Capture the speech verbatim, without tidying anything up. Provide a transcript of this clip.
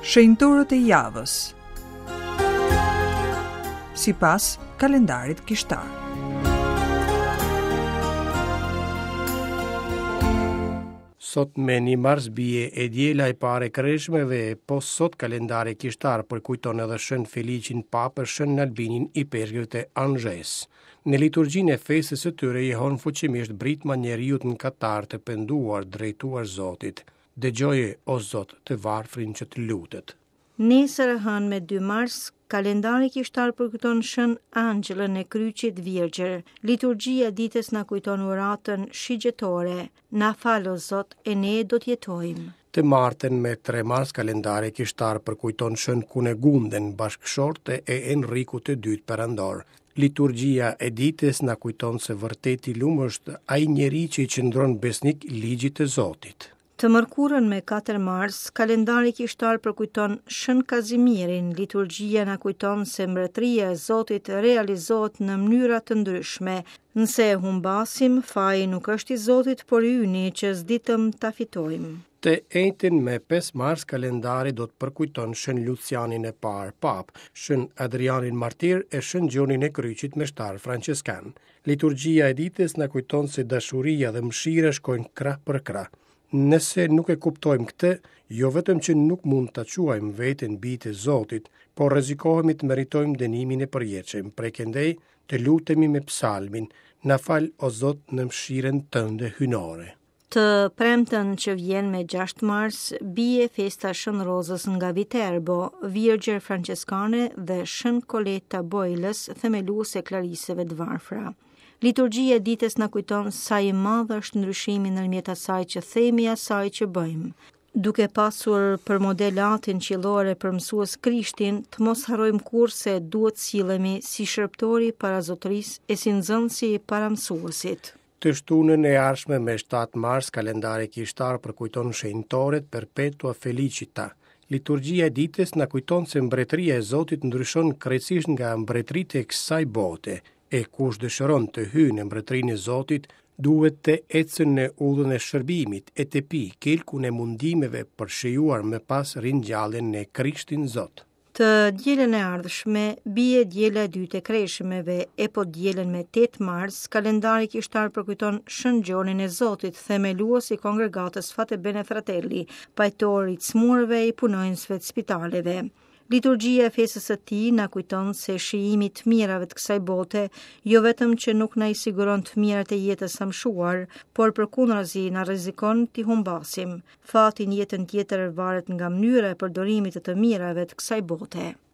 Shenjtorët e javës sipas kalendarit kishtar. Sot me një mars bie e diela e parë e kreshmeve, po sot kalendari kishtar përkujton edhe Shën Feliqin Papë, Shën Albinin ipeshkëv të Anzhes. Në liturgjinë e festës së tyre jehon fuqimisht britma njeriut mëkatar të penduar drejtuar Zotit. Dëgjoje, o Zot, të varfrin që të lutet. Nesër e hënë me dy mars, kalendari kishtar përkujton Shën Anxhelën e Kryqit Virgjër. Liturgjia e ditës na kujton uratën shigjetore. Na fal o Zot e ne do të jetojmë. Të martën me tre mars kalendari kishtar përkujton Shën Kunegunden, bashkëshorte e Enrikut të dytë perandor. Liturgjia e ditës na kujton se vërtet i lum është ai njeri që i qëndron besnik ligjit të Zotit. Të mërkurën me katër mars, kalendari kishtar përkujton Shën Kazimirin. Liturgjia na kujton se mbretëria e Zotit realizohet në mënyra të ndryshme. Nëse e humbasim, faji nuk është i Zotit, por i yni që s'ditëm ta fitojmë. Të enjten me pesë mars kalendari do të përkujton Shën Lucianin e parë Papë, Shën Adrianin Martir e Shën Gjonin e Kryqit meshtar Franceskan. Liturgjia e ditës na kujton se dashuria dhe mëshira shkojnë krah për krah. Nëse nuk e kuptojmë këtë, jo vetëm që nuk mund ta quajmë veten bijtë e Zotit, por rrezikohemi të meritojmë dënimin e përjetshëm. Prej këndej të lutemi me psalmin, na fal o Zot në mëshirën tënde hyjnore. Të premten që vjen me gjashtë mars, bie festa Shën Rozës nga Viterbo, Virgjër Franceskane dhe Shën Koleta Bojlës, themeluese e Klariseve të Varfra. Liturgjia e ditës na kujton sa i madh është ndryshimi ndërmjet asaj që themi e asaj që bëjmë. Duke pasur për model atin qiellor e për mësues Krishtin, të mos harrojmë kurrë se duhet sillemi si shërbëtori para zotërisë e si nxënësi para mësuesit. Të shtunën e ardhshme me shtatë mars, kalendari kishtar përkujton shenjtoret Perpetua Felicita. Liturgjia e ditës na kujton se mbretëria e Zotit ndryshon krejtësisht nga mbretëritë e kësaj bote, e kush dëshiron të hyjë në mbretërinë e Zotit, duhet të ecën në udhën e shërbimit e të pi kelkun e mundimeve për shijuar më pas ringjalljen në Krishtin Zot. Të dielën e ardhshme bie diela e dytë e kreshmeve, e po dielën me tetë mars, kalendari kishtar përkujton Shën Gjonin e Zotit, themelues i kongregatës Fate Bene Fratelli, pajtor i të smurëve e i punonjësve të spitaleve. Liturgjia e festës së tij na kujton se shijimi i të mirave të kësaj bote jo vetëm që nuk na i siguron të mirat e jetës së amshuar, por përkundrazi na rrezikon t'i humbasim. Fati në jetën tjetër varet nga mënyra e përdorimit të të mirave të kësaj bote.